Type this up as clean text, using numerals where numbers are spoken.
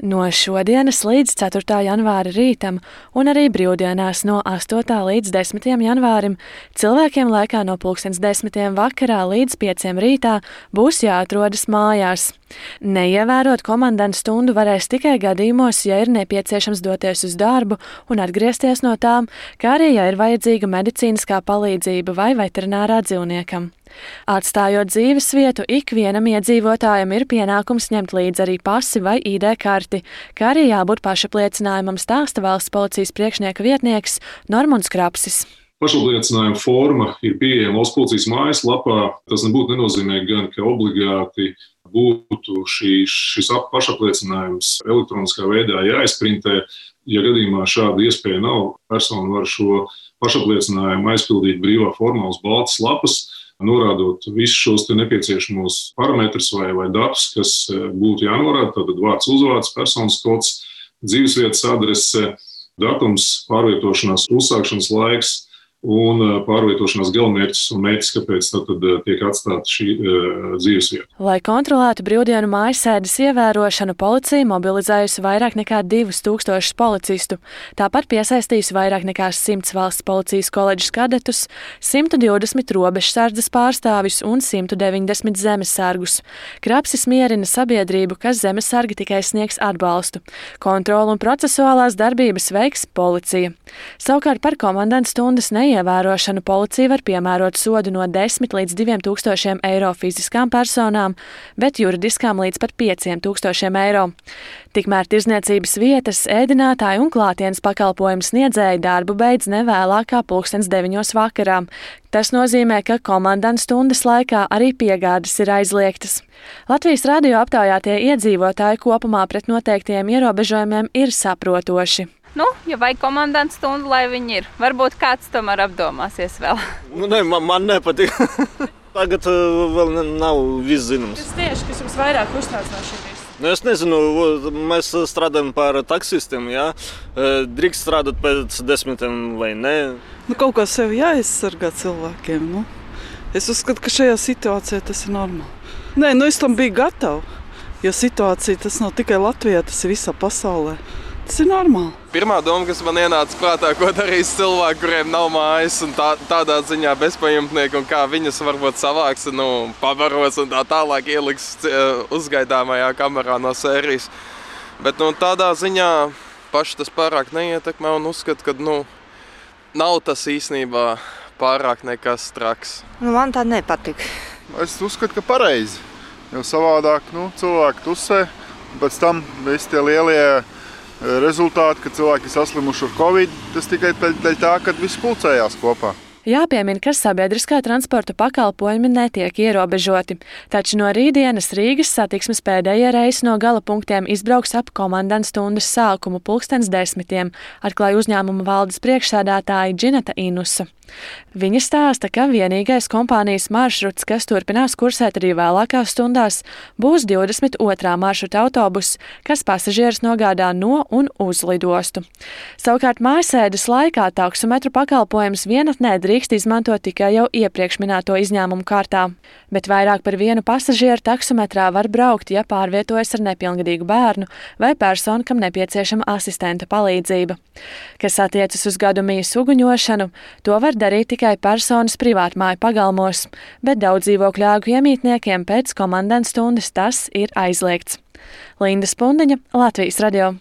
No šodienas līdz 4. janvāra rītam un arī brīvdienās no 8. līdz 10. janvārim cilvēkiem laikā no 10:10 vakarā līdz 5 rītā būs jāatrodas mājās. Neievērot komandantu stundu varēs tikai gadījumos, ja ir nepieciešams doties uz darbu un atgriezties no tām, kā arī, ja ir vajadzīga medicīniskā palīdzība vai veterinārā dzīvniekam. Atstājot dzīves vietu, ikvienam iedzīvotājam ir pienākums ņemt līdzi arī pasi vai ID karti, kā arī jābūt pašapliecinājumam, stāsta valsts policijas priekšnieka vietnieks Normunds Krapsis. Pašapliecinājuma forma ir pieejama valsts policijas mājaslapā. Tas nebūtu nenozīmē gan, ka obligāti būtu šis pašapliecinājums elektroniskā veidā jāizprintē. Ja gadījumā šāda iespēja nav, persona var šo pašapliecinājumu aizpildīt brīvā formā uz baltas lapas, norādot visus šos nepieciešamos parametrus vai datus, kas būtu jānorāda. Tātad vārds, uzvārds, personas kods, dzīvesvietas adrese, datums, pārvietošanās uzsākšanas laiks un pārvietošanās galamērķis un mērķis, kāpēc tad tiek atstāta šī dzīvesvieta. Lai kontrolētu brīvdienu mājasēdes ievērošanu, policija mobilizējusi vairāk nekā 2000 policistu, tāpat piesaistījusi vairāk nekā 100 valsts policijas koledžas kadetus, 120 robežsardzes pārstāvjus un 190 zemesargus. Krapsis mierina sabiedrību, ka zemesargi tikai sniegs atbalstu. Kontrolu un procesuālās darbības veiks policija. Savukārt par komandantu stundas neievērošanu policija var piemērot sodu no 10 līdz 2000 eiro fiziskām personām, bet juridiskām līdz pat 5000 eiro. Tikmēr tirzniecības vietas, ēdinātāji un klātienes pakalpojumu sniedzēji darbu beidz nevēlāk kā 9:00 vakarā. Tas nozīmē, ka komandantu stundas laikā arī piegādes ir aizliegtas. Latvijas radio aptaujātie iedzīvotāji kopumā pret noteiktiem ierobežojumiem ir saprotoši. Ja vajag komandantu stundu, lai viņi ir. Varbūt kāds tomēr apdomāsies vēl. Man nepatīk. Tagad vēl nav viss zināms. Kas tieši, kas jums vairāk uztrauc no šī visa? Es nezinu, mēs strādājam par taksistiem, jā. Drīkst strādāt pēc 10 vai nē. Kaut kā sevi jāaizsargā cilvēkiem. Es uzskatu, ka šajā situācijā tas ir normāli. Es tam biju gatava, jo situācija tas nav tikai Latvijā, tas ir visā pasaulē. Tas ir normāli. Pirmā doma, kas man ienāca prātā, ko darīs cilvēki, kuriem nav mājas un tādā ziņā bezpajumtnieki un kā viņas varbūt savāks, pabaros un tā tālāk ieliks uzgaidāmajā kamerā no sērijas. Bet tādā ziņā paši tas pārāk neietekmē un uzskata, ka nav tas īstenībā pārāk nekas traks. Man tā nepatīk. Es uzskatu, ka pareizi, jo savādāk cilvēki tusē, pēc tam visi tie lielie rezultāti, ka cilvēki saslimuši ar Covid, tas tikai dēļ tā, ka visi pulcējās kopā. Jāpiemina, ka sabiedriskā transporta pakalpojumi netiek ierobežoti, taču no rītdienas Rīgas satiksmes pēdējie reisi no gala punktiem izbrauks ap komandantu stundas sākumu 10:10, atklāja uzņēmuma valdes priekšsēdētāja Džineta Inusa. Viņa stāsta, ka vienīgais kompānijas maršruts, kas turpinās kursēt arī vēlākās stundās, būs 22. maršruta autobus, kas pasažierus nogādā no un uz lidostu. Savukārt mājasēdes laikā taksometru pakalpojums vienatnē drīkst izmantot tikai jau iepriekš minēto izņēmumu kārtā, bet vairāk par vienu pasažieru taksometrā var braukt, ja pārvietojas ar nepilngadīgu bērnu vai personu, kam nepieciešama asistenta palīdzība. Kas attiecas uz gadumijas uguņošanu, to var darīt tikai personas privātmāju pagalmos, bet daudz dzīvokļu ēku iemītniekiem pēc komandantu stundas tas ir aizliegts. Linda Spundiņa, Latvijas radio.